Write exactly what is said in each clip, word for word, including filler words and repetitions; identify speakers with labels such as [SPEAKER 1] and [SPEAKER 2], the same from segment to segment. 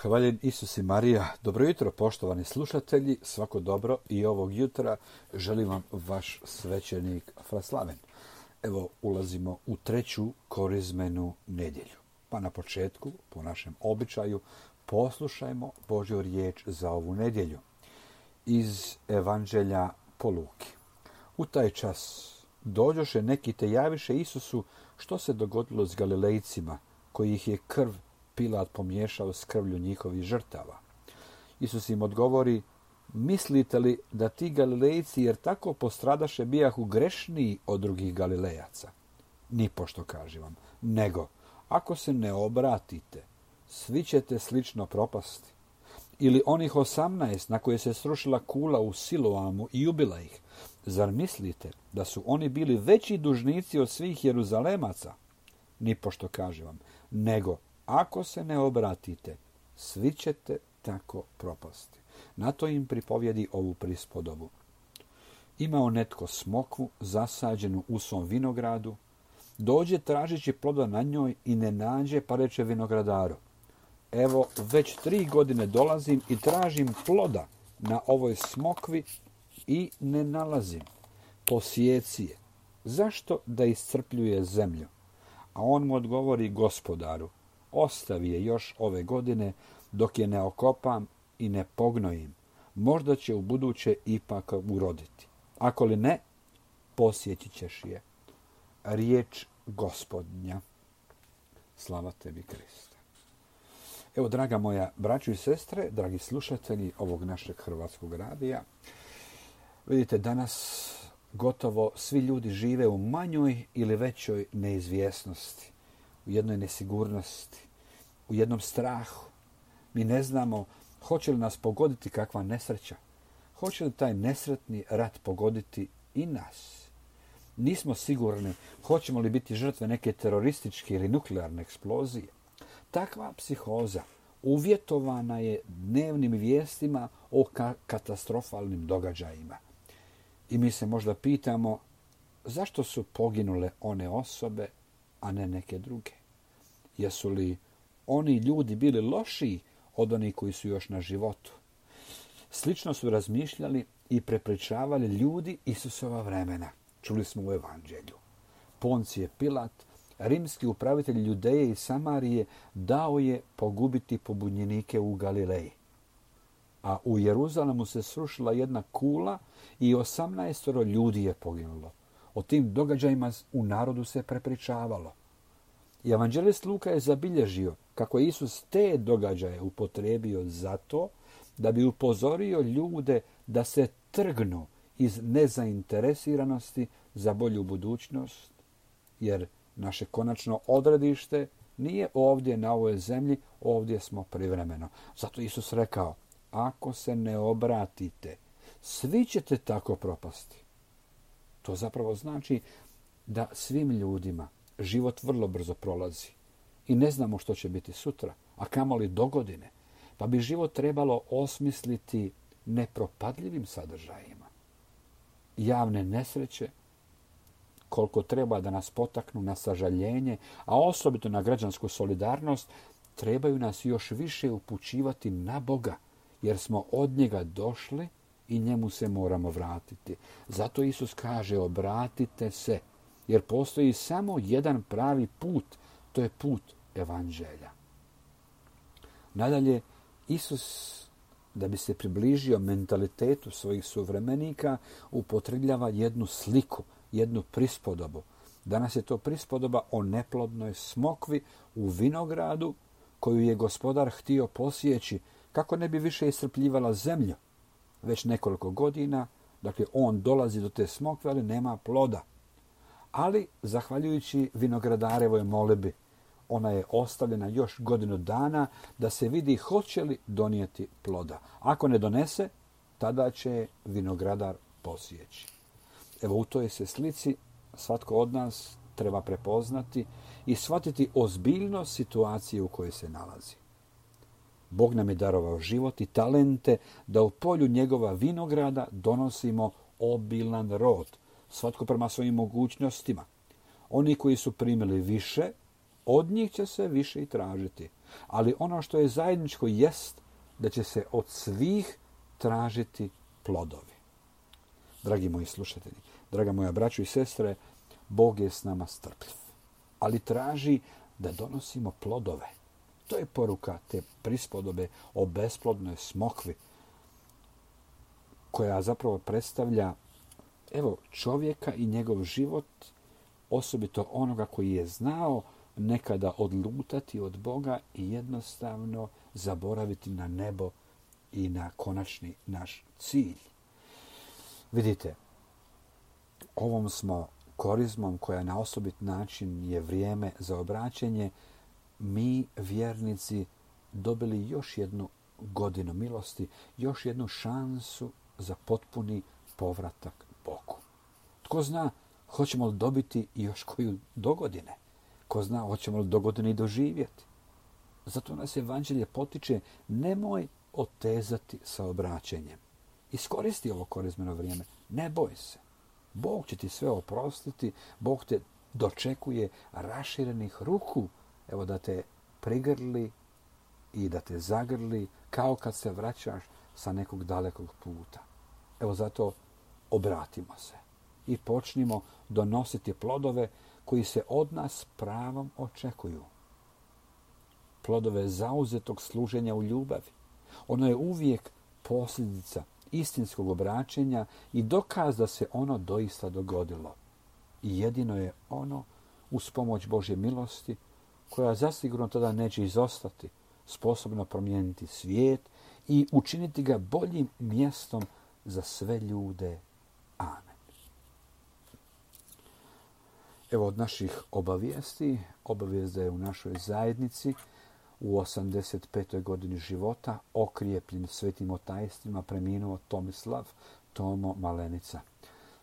[SPEAKER 1] Hvaljen Isus i Marija. Dobro jutro, poštovani slušatelji. Svako dobro i ovog jutra želim vam vaš svećenik Fraslaven. Evo, ulazimo u treću korizmenu nedjelju. Pa na početku, po našem običaju, poslušajmo Božju riječ za ovu nedjelju. Iz Evanđelja po Luki. U taj čas dođoše neki te javiše Isusu što se dogodilo s Galilejcima, koji ih je krv Pilat pomiješao s krvlju njihovih žrtava. Isus im odgovori: mislite li da ti Galilejci, jer tako postradaše, bijahu grešniji od drugih Galilejaca? Nipošto, kažem vam, nego ako se ne obratite, svi ćete slično propasti. Ili onih osamnaest na koje se srušila kula u Siloamu i ubila ih, zar mislite da su oni bili veći dužnici od svih Jeruzalemaca? Nipošto, kažem vam, nego ako se ne obratite, svi ćete tako propasti. Na to im pripovjedi ovu prispodobu. Imao netko smokvu zasađenu u svom vinogradu, dođe tražići ploda na njoj i ne nađe, pa reče vinogradaru: evo, već tri godine dolazim i tražim ploda na ovoj smokvi i ne nalazim. Posijeci je. Zašto da iscrpljuje zemlju? A on mu odgovori: gospodaru, ostavi je još ove godine dok je ne okopam i ne pognojim. Možda će u buduće ipak uroditi. Ako li ne, posjeći ćeš je. Riječ Gospodnja. Slava tebi, Kriste. Evo, draga moja braćo i sestre, dragi slušatelji ovog našeg hrvatskog radija, vidite, danas gotovo svi ljudi žive u manjoj ili većoj neizvjesnosti, u jednoj nesigurnosti, u jednom strahu. Mi ne znamo hoće li nas pogoditi kakva nesreća. Hoće li taj nesretni rat pogoditi i nas? Nismo sigurni hoćemo li biti žrtve neke terorističke ili nuklearne eksplozije. Takva psihoza uvjetovana je dnevnim vijestima o ka- katastrofalnim događajima. I mi se možda pitamo zašto su poginule one osobe, a ne neke druge. Jesu li oni ljudi bili lošiji od onih koji su još na životu? Slično su razmišljali i prepričavali ljudi Isusova vremena. Čuli smo u Evanđelju. Poncije Pilat, rimski upravitelj Judeje i Samarije, dao je pogubiti pobunjenike u Galileji. A u Jeruzalemu se srušila jedna kula i osamnaestoro ljudi je poginulo. O tim događajima u narodu se prepričavalo. I evanđelist Luka je zabilježio kako je Isus te događaje upotrijebio zato da bi upozorio ljude da se trgnu iz nezainteresiranosti za bolju budućnost, jer naše konačno odredište nije ovdje na ovoj zemlji, ovdje smo privremeno. Zato Isus rekao: ako se ne obratite, svi ćete tako propasti. To zapravo znači da svim ljudima život vrlo brzo prolazi i ne znamo što će biti sutra, a kamoli dogodine, pa bi život trebalo osmisliti nepropadljivim sadržajima. Javne nesreće, koliko treba da nas potaknu na sažaljenje, a osobito na građansku solidarnost, trebaju nas još više upućivati na Boga, jer smo od njega došli i njemu se moramo vratiti. Zato Isus kaže: obratite se, jer postoji samo jedan pravi put, to je put Evanđelja. Nadalje, Isus, da bi se približio mentalitetu svojih suvremenika, upotrebljava jednu sliku, jednu prispodobu. Danas je to prispodoba o neplodnoj smokvi u vinogradu koju je gospodar htio posjeći kako ne bi više iscrpljivala zemlju. Već nekoliko godina, dakle, on dolazi do te smokve, ali nema ploda. Ali, zahvaljujući vinogradarevoj molbi, ona je ostavljena još godinu dana da se vidi hoće li donijeti ploda. Ako ne donese, tada će vinogradar posjeći. Evo, u toj se slici svatko od nas treba prepoznati i shvatiti ozbiljnost situacije u kojoj se nalazi. Bog nam je darovao život i talente da u polju njegova vinograda donosimo obilan rod, svatko prema svojim mogućnostima. Oni koji su primili više, Od njih će se više i tražiti. Ali ono što je zajedničko jest da će se od svih tražiti plodovi. Dragi moji slušatelji, draga moja braćo i sestre, Bog je s nama strpljiv, ali traži da donosimo plodove. To je poruka te prispodobe o besplodnoj smokvi, koja zapravo predstavlja evo, čovjeka i njegov život, osobito onoga koji je znao nekada odlutati od Boga i jednostavno zaboraviti na nebo i na konačni naš cilj. Vidite, ovom smo korizmom koja na osobit način je vrijeme za obraćenje, mi vjernici dobili još jednu godinu milosti, još jednu šansu za potpuni povratak Bogu. Tko zna, hoćemo li dobiti još koju dogodine? Ko zna, hoćemo li dogodine i doživjeti? Zato nas evanđelje potiče, nemoj otezati sa obraćenjem. Iskoristi ovo korizmeno vrijeme, ne boj se. Bog će ti sve oprostiti, Bog te dočekuje raširenih ruku, evo da te prigrli i da te zagrli kao kad se vraćaš sa nekog dalekog puta. Evo zato obratimo se i počnimo donositi plodove koji se od nas pravom očekuju. Plodove zauzetog služenja u ljubavi. Ono je uvijek posljedica istinskog obraćenja i dokaz da se ono doista dogodilo. I jedino je ono uz pomoć Božje milosti, koja zasigurno tada neće izostati, sposobno promijeniti svijet i učiniti ga boljim mjestom za sve ljude. Amen. Evo od naših obavijesti, obavijest da je u našoj zajednici u osamdeset petoj godini života, okrijepljen svetim otajstvima, preminuo Tomislav Tomo Malenica.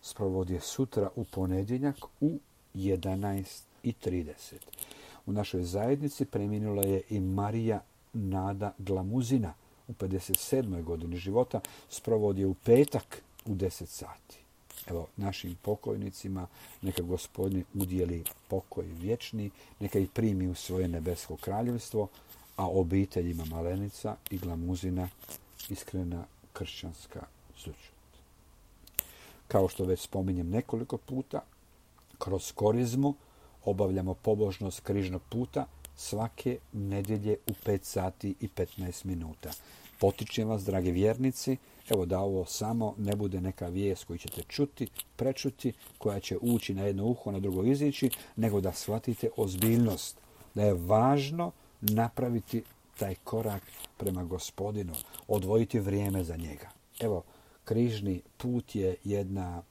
[SPEAKER 1] Sprovod je sutra u ponedjeljak u jedanaest i trideset. U našoj zajednici preminula je i Marija Nada Glamuzina u pedeset sedmoj godini života. Sprovod je u petak u deset sati. Evo, našim pokojnicima neka Gospodin udijeli pokoj vječni, neka ih primi u svoje nebesko kraljevstvo, a obiteljima Malenica i Glamuzina iskrena kršćanska sućut. Kao što već spominjem nekoliko puta, kroz korizmu obavljamo pobožnost križnog puta svake nedjelje u pet sati i petnaest minuta. Potičem vas, dragi vjernici, evo da ovo samo ne bude neka vijest koju ćete čuti, prečuti, koja će ući na jedno uho, na drugo izići, nego da shvatite ozbiljnost, da je važno napraviti taj korak prema Gospodinu, odvojiti vrijeme za njega. Evo, križni put je jedna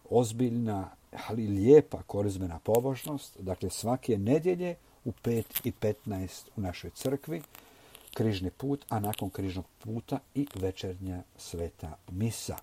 [SPEAKER 1] ozbiljna, ali lijepa korizmena pobožnost. Dakle, svake nedjelje u pet i petnaest u našoj crkvi, križni put, a nakon križnog puta i večernja sveta misa.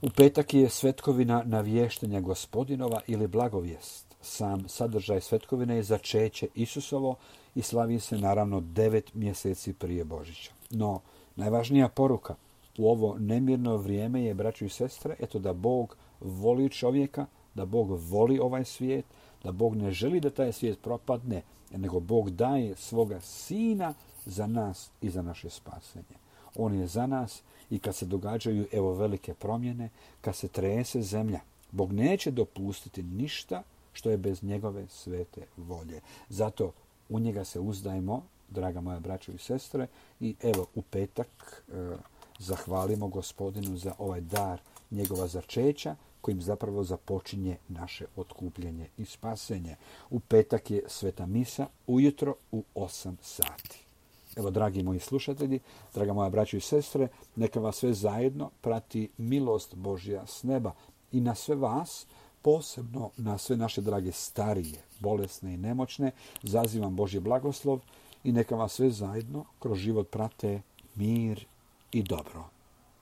[SPEAKER 1] U petak je svetkovina navještenja Gospodinova ili blagovijest. Sam sadržaj svetkovine je začeće Isusovo i slavi se naravno devet mjeseci prije Božića. No, najvažnija poruka u ovo nemirno vrijeme je, braćo i sestre, eto da Bog voli čovjeka, da Bog voli ovaj svijet, da Bog ne želi da taj svijet propadne, nego Bog daje svoga sina za nas i za naše spasenje. On je za nas i kad se događaju evo velike promjene, kad se trese zemlja, Bog neće dopustiti ništa što je bez njegove svete volje. Zato u njega se uzdajmo, draga moja braćo i sestre, i evo u petak e, zahvalimo Gospodinu za ovaj dar njegova začeća, kojim zapravo započinje naše otkupljenje i spasenje. U petak je sveta misa ujutro u osam sati. Evo, dragi moji slušatelji, draga moja braćo i sestre, neka vas sve zajedno prati milost Božja s neba i na sve vas, posebno na sve naše drage starije, bolesne i nemoćne, zazivam Božji blagoslov i neka vas sve zajedno kroz život prate mir i dobro.